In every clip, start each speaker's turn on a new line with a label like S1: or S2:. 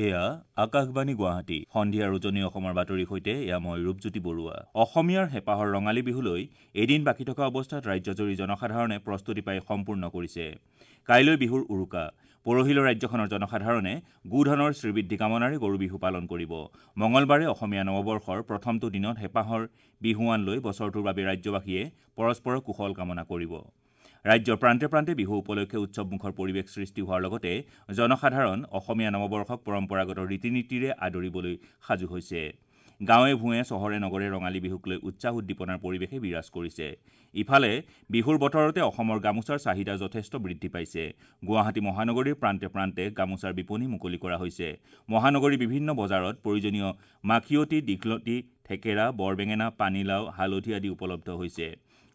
S1: এয়া আকাশবাণী গুৱাহাটী। সন্ধিয়াৰ উজনি অসমৰ বাতৰিৰ সৈতে এয়া মই ৰূপজ্যোতি বৰুৱা। অসমীয়াৰ হেঁপাহৰ ৰঙালী বিহুলৈ এদিন বাকী থকা অৱস্থাত ৰাজ্যজুৰি জনসাধাৰণে প্ৰস্তুতি পাই সম্পূৰ্ণ কৰিছে। কাইলৈ বিহুৰ উৰুকা। পৰহিলৈ ৰাজ্যখনৰ জনসাধাৰণে গোধনৰ শ্ৰীবৃদ্ধি কামনাৰে গৰু বিহু পালন কৰিব। মঙলবাৰে অসমীয়া নৱবৰ্ষৰ প্ৰথমটো দিনত হেঁপাহৰ বিহুৱান লৈ বছৰটোৰ বাবে ৰাজ্যবাসীয়ে পৰস্পৰৰ কুশল কামনা কৰিব। ৰাজ্যৰ প্ৰান্তে প্ৰান্তে বিহু উপলক্ষে উৎসৱমুখৰ পৰিৱেশ সৃষ্টি হোৱাৰ লগতে জনসাধাৰণ অসমীয়া নৱবৰ্ষক পৰম্পৰাগত ৰীতি নীতিৰে আদৰিবলৈ সাজু হৈছে। গাঁৱে ভূঞে, চহৰে নগৰে ৰঙালী বিহুক লৈ উৎসাহ উদ্দীপনাৰ পৰিৱেশে বিৰাজ কৰিছে। ইফালে বিহুৰ বতৰতে অসমৰ গামোচাৰ চাহিদা যথেষ্ট বৃদ্ধি পাইছে। গুৱাহাটী মহানগৰীৰ প্ৰান্তে প্ৰান্তে গামোচাৰ বিপণী মুকলি কৰা হৈছে। মহানগৰীৰ বিভিন্ন বজাৰত প্ৰয়োজনীয় মাখিয়তী, দীঘলতি, থেকেৰা, বৰবেঙেনা, পানীলাও, হালধি আদি উপলব্ধ হৈছে।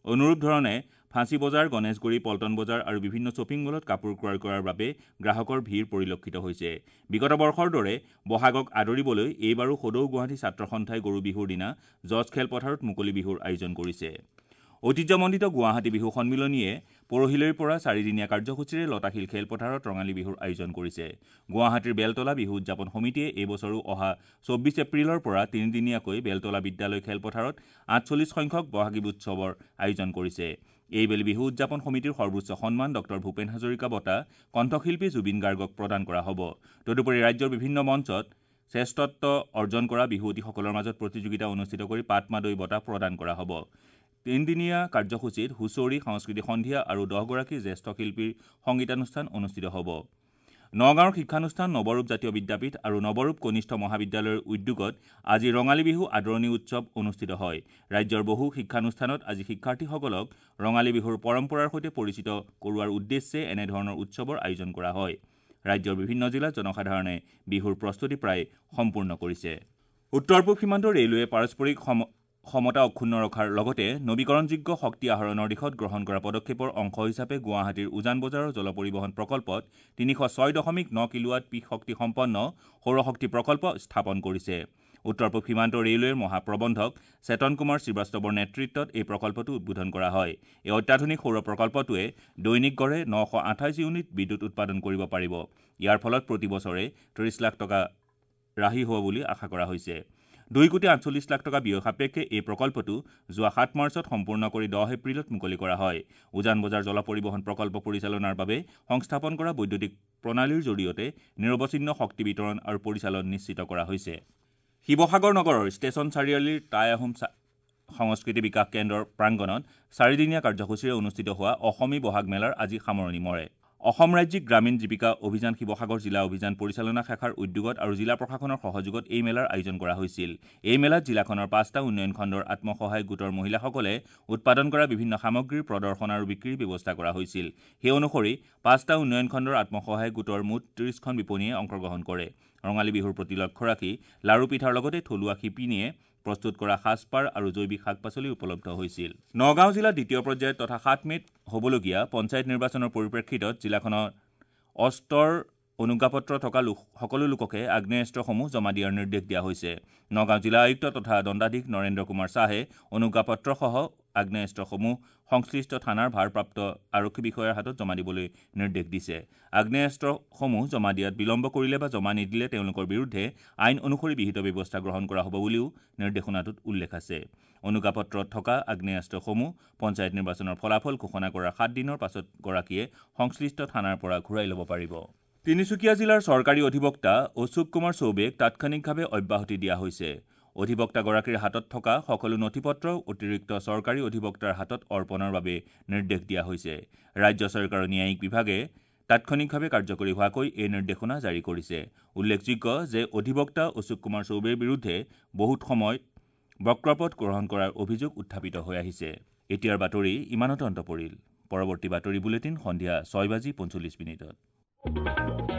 S1: অনুৰূপ ধৰণে ফাঁচী বজাৰ, গণেশগুৰি, পল্টন বজাৰ আৰু বিভিন্ন শ্বপিং মলত কাপোৰ ক্ৰয় কৰাৰ বাবে গ্ৰাহকৰ ভিৰ পৰিলক্ষিত হৈছে। বিগত বৰ্ষৰ দৰে বহাগক আদৰিবলৈ এইবাৰো সদৌ গুৱাহাটী ছাত্ৰ সন্থাই গৰু বিহুৰ দিনা জজ খেলপথাৰত মুকলি বিহুৰ আয়োজন কৰিছে। ঐতিহ্যমণ্ডিত গুৱাহাটী বিহু সন্মিলনীয়ে পৰহিলৈৰ পৰা চাৰিদিনীয়া কাৰ্যসূচীৰে লতাশিল খেলপথাৰত ৰঙালী বিহুৰ আয়োজন কৰিছে। গুৱাহাটীৰ বেলতলা বিহু উদযাপন সমিতিয়ে এইবছৰো অহা 24 এপ্ৰিলৰ পৰা তিনিদিনীয়াকৈ বেলতলা বিদ্যালয় খেলপথাৰত 48 সংখ্যক বহাগী উৎসৱৰ আয়োজন কৰিছে। এইবেলি বিহু উদযাপন সমিতিৰ সৰ্বোচ্চ সন্মান ডক্টৰ ভূপেন হাজৰিকা বঁটা কণ্ঠশিল্পী জুবিন গাৰ্গক প্ৰদান কৰা হ'ব। তদুপৰি ৰাজ্যৰ বিভিন্ন মঞ্চত শ্ৰেষ্ঠত্ব অৰ্জন কৰা বিহুৱতীসকলৰ মাজত প্ৰতিযোগিতা অনুষ্ঠিত কৰি পাটমাদৈ বঁটা প্ৰদান কৰা হ'ব। তিনিদিনীয়া কাৰ্যসূচীত হুঁচৰি, সাংস্কৃতিক সন্ধিয়া আৰু 10গৰাকী জ্যেষ্ঠ শিল্পীৰ সংগীতানুষ্ঠান অনুষ্ঠিত হ'ব। নগাঁৱৰ শিক্ষানুষ্ঠান নৱৰূপ জাতীয় বিদ্যাপীঠ আৰু নৱৰূপ কনিষ্ঠ মহাবিদ্যালয়ৰ উদ্যোগত আজি ৰঙালী বিহু আদৰণি উৎসৱ অনুষ্ঠিত হয়। ৰাজ্যৰ বহু শিক্ষানুষ্ঠানত আজি শিক্ষাৰ্থীসকলক ৰঙালী বিহুৰ পৰম্পৰাৰ সৈতে পৰিচিত কৰোৱাৰ উদ্দেশ্যে এনেধৰণৰ উৎসৱৰ আয়োজন কৰা হয়। ৰাজ্যৰ বিভিন্ন জিলাত জনসাধাৰণে বিহুৰ প্ৰস্তুতি প্ৰায় সম্পূৰ্ণ কৰিছে। উত্তৰ পূব সীমান্ত ৰেলৱে পাৰস্পৰিক সমতা অক্ষুণ্ণ ৰখাৰ লগতে নৱীকৰণযোগ্য শক্তি আহৰণৰ দিশত গ্ৰহণ কৰা পদক্ষেপৰ অংশ হিচাপে গুৱাহাটীৰ উজান বজাৰৰ জল পৰিবহণ প্ৰকল্পত 306.9 কিলোৱাট পিক শক্তি সম্পন্ন সৌৰশক্তি প্ৰকল্প স্থাপন কৰিছে। উত্তৰ পূব সীমান্ত ৰেলৱেৰ মহাপ্ৰবন্ধক চেতন কুমাৰ শ্ৰীবাস্তৱৰ নেতৃত্বত এই প্ৰকল্পটো উদ্বোধন কৰা হয়। এই অত্যাধুনিক সৌৰ প্ৰকল্পটোৱে দৈনিক গড়ে 928 ইউনিট বিদ্যুৎ উৎপাদন কৰিব পাৰিব। ইয়াৰ ফলত প্ৰতি বছৰে 30 লাখ টকা ৰাহি হ'ব বুলি আশা কৰা হৈছে। 2 কোটি 48 লাখ টকা ব্যয় সাপেক্ষে এই প্ৰকল্পটো যোৱা 7 মাৰ্চত সম্পূৰ্ণ কৰি 10 এপ্ৰিলত মুকলি কৰা হয়। উজান বজাৰ জল পৰিবহণ প্ৰকল্প পৰিচালনাৰ বাবে সংস্থাপন কৰা বৈদ্যুতিক প্ৰণালীৰ জৰিয়তে নিৰৱচ্ছিন্ন শক্তি বিতৰণ আৰু পৰিচালন নিশ্চিত কৰা হৈছে। শিৱসাগৰ নগৰৰ ষ্টেচন চাৰিআলিৰ টাই আহোম সংস্কৃতি বিকাশ কেন্দ্ৰৰ প্ৰাংগণত চাৰিদিনীয়া কাৰ্যসূচীৰে অনুষ্ঠিত হোৱা অসমী বহাগ মেলাৰ আজি সামৰণি মৰে। অসম ৰাজ্যিক গ্ৰামীণ জীৱিকা অভিযান শিৱসাগৰ জিলা অভিযান পৰিচালনা শাখাৰ উদ্যোগত আৰু জিলা প্ৰশাসনৰ সহযোগত এই মেলাৰ আয়োজন কৰা হৈছিল। এই মেলাত জিলাখনৰ 5টা উন্নয়ন খণ্ডৰ আত্মসহায়ক গোটৰ মহিলাসকলে উৎপাদন কৰা বিভিন্ন সামগ্ৰীৰ প্ৰদৰ্শন আৰু বিক্ৰীৰ ব্যৱস্থা কৰা হৈছিল। সেই অনুসৰি 5টা উন্নয়ন খণ্ডৰ আত্মসহায়ক গোটৰ মুঠ 30খন বিপণীয়ে অংশগ্ৰহণ কৰে। ৰঙালী বিহুৰ প্ৰতি লক্ষ্য ৰাখি লাৰু পিঠাৰ লগতে থলুৱা শিপিনীয়ে প্ৰস্তুত কৰা সাজপাৰ আৰু জৈৱিক শাক পাচলি উপলব্ধ হৈছিল। নগাঁও জিলাৰ দ্বিতীয় পৰ্যায়ত তথা 7 মে'ত হ'বলগীয়া পঞ্চায়ত নিৰ্বাচনৰ পৰিপ্ৰেক্ষিতত জিলাখনৰ অস্ত্ৰৰ অনুজ্ঞাপত্ৰ থকা সকলো লোককে আগ্নেয়াস্ত্ৰসমূহ জমা দিয়াৰ নিৰ্দেশ দিয়া হৈছে। নগাঁও জিলা আয়ুক্ত তথা দণ্ডাধীশ নৰেন্দ্ৰ কুমাৰ শ্বাহে অনুজ্ঞাপত্ৰসহ আগ্নেয়াস্ত্ৰসমূহ সংশ্লিষ্ট থানাৰ ভাৰপ্ৰাপ্ত আৰক্ষী বিষয়াৰ হাতত জমা দিবলৈ নিৰ্দেশ দিছে। আগ্নেয়াস্ত্ৰসমূহ জমা দিয়াত বিলম্ব কৰিলে বা জমা নিদিলে তেওঁলোকৰ বিৰুদ্ধে আইন অনুসৰি বিহিত ব্যৱস্থা গ্ৰহণ কৰা হ'ব বুলিও নিৰ্দেশনাটোত উল্লেখ আছে। অনুজ্ঞাপত্ৰত থকা আগ্নেয়াস্ত্ৰসমূহ পঞ্চায়ত নিৰ্বাচনৰ ফলাফল ঘোষণা কৰাৰ 7 দিনৰ পাছত গৰাকীয়ে সংশ্লিষ্ট থানাৰ পৰা ঘূৰাই ল'ব পাৰিব। তিনিচুকীয়া জিলাৰ চৰকাৰী অধিবক্তা অশোক কুমাৰ চৌবেক তাৎক্ষণিকভাৱে অব্যাহতি দিয়া হৈছে। অধিবক্তাগৰাকীৰ হাতত থকা সকলো নথিপত্ৰ অতিৰিক্ত চৰকাৰী অধিবক্তাৰ হাতত অৰ্পণৰ বাবে নিৰ্দেশ দিয়া হৈছে। ৰাজ্য চৰকাৰৰ ন্যায়িক বিভাগে তাৎক্ষণিকভাৱে কাৰ্যকৰী হোৱাকৈ এই নিৰ্দেশনা জাৰি কৰিছে। উল্লেখযোগ্য যে অধিবক্তা অশোক কুমাৰ চৌবেৰ বিৰুদ্ধে বহুত সময়ত বক্ৰপথ গ্ৰহণ কৰাৰ অভিযোগ উত্থাপিত হৈ আহিছে। এতিয়াৰ বাতৰি ইমানতে অন্ত পৰিল। পৰৱৰ্তী বাতৰি বুলেটিন সন্ধিয়া 6:45।